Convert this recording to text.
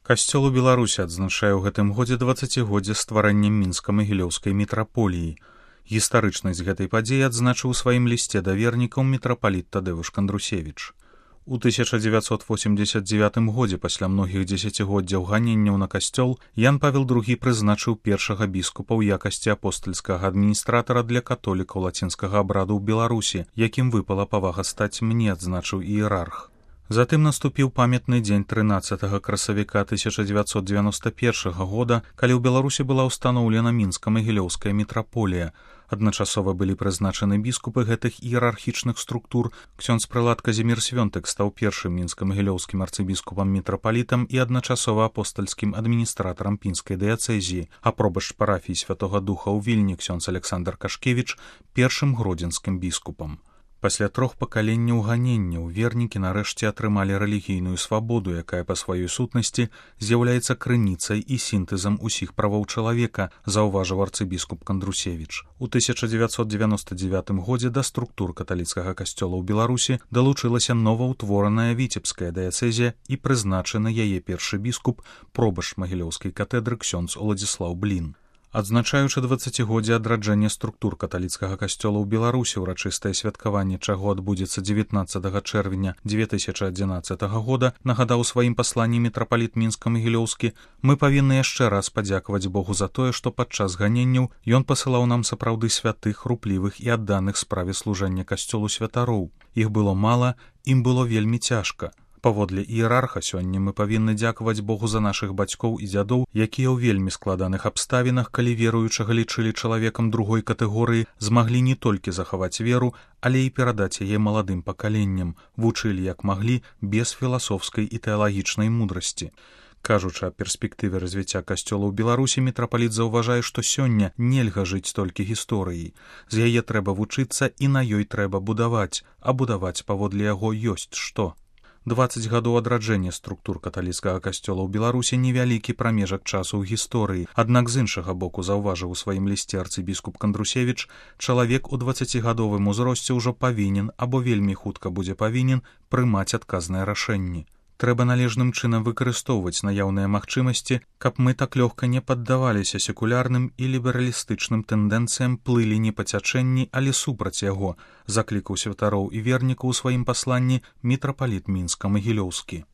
Касцёл у Беларусі адзначае ў гэтым годзе 20годдзе стварэння мінска-магілёўскай мітраполіі. Гістарычнасць гэтай падзеі адзначыў у сваім лісце да вернікаў мітрапаліт Тадэвуш Кандрусевіч. У 1989 годзе, пасля многіх дзесяцігоддзяў ганенняў на касцёл, Ян Павел II прызначыў першага біскупа ў якасці апостальскага адміністратара для католікаў лацінскага абраду ў Беларусі, якім выпала павага стаць мне, адзначыў іерарх. Затым наступіў памятны дзень 13 красавіка 1991 года, калі ў Беларусі была ўстаноўлена мінска-магілёўская мітраполія. Адначасова былі прызначаны біскупы гэтых іерархічных структур. Ксёндз прылад Казімір Свёнтык стаў першым мінска-магілёўскім арцыбіскупам-мітрапалітам і адначасова апостальскім адміністратарам пінскай дыяцэзіі, а пробашч парафіі Святога Духа ў Вільні ксёндз Александр Кашкевіч першым гродзенскім біскупам. Пасля 3 пакаленняў ганенняў вернікі нарэшце атрымалі рэлігійную свабоду, якая па сваёй сутнасці з'яўляецца крыніцай і сінтэзам усіх правоў чалавека, заўважыў арцыбіскуп Кандрусевіч. У 1999 годзе да структур каталіцкага касцёла ў Беларусі далучылася новаўтвораная віцебская дыяцэзія і прызначаны яе першы біскуп, пробашч магілёўскай катэдры ксёндз Уладзіслаў Блін. Адзначаючы 20годдзе адраджэння структур каталіцкага касцёла ў Беларусі, урачыстае святкаванне чаго адбудзецца 19 чэрвеня 2011 года, нагадаў у сваім пасланні мітрапаліт мінска-магілёўскі, мы павінны яшчэ раз падзякаваць Богу за тое, што падчас ганенняў ён пасылаў нам сапраўды святых, руплівых і адданых справе служэння касцёлу святароў. Іх было мала, ім было вельмі цяжка. Паводле іерарха сёння мы павінны дзякаваць Богу за нашых бацькоў і дзядоў, якія ў вельмі складаных абставінах, калі веруючага лічылі чалавекам другой катэгорыі, змаглі не толькі захаваць веру, але і перадаць яе маладым пакаленням, вучылі як маглі без філасофскай і тэалагічнай мудрасці. Кажучы аб перспектыве развіцця касцёла ў Беларусі, мітрапаліт заўважае, што сёння нельга жыць толькі гісторыяй. З яе трэба вучыцца і на ёй трэба будаваць, а будаваць паводле яго ёсць што. 20 гадоў адраджэння структур каталіцкага касцёла ў Беларусі невялікі прамежак часу ў гісторыі. Аднак з іншага боку, заўважыў у сваім лісце арцыбіскуп Кандрусевіч, чалавек у 20гадовым узросце ўжо павінен або вельмі хутка будзе павінен прымаць адказныя рашэнні. Трэба належным чынам выкарыстоўваць наяўныя магчымасці, каб мы так лёгка не паддаваліся секулярным і лібералістычным тэндэнцыям, плылі не па цячэнні, але супраць яго, заклікаў святароў і вернікаў у сваім пасланні мітрапаліт мінска-магілёўскі.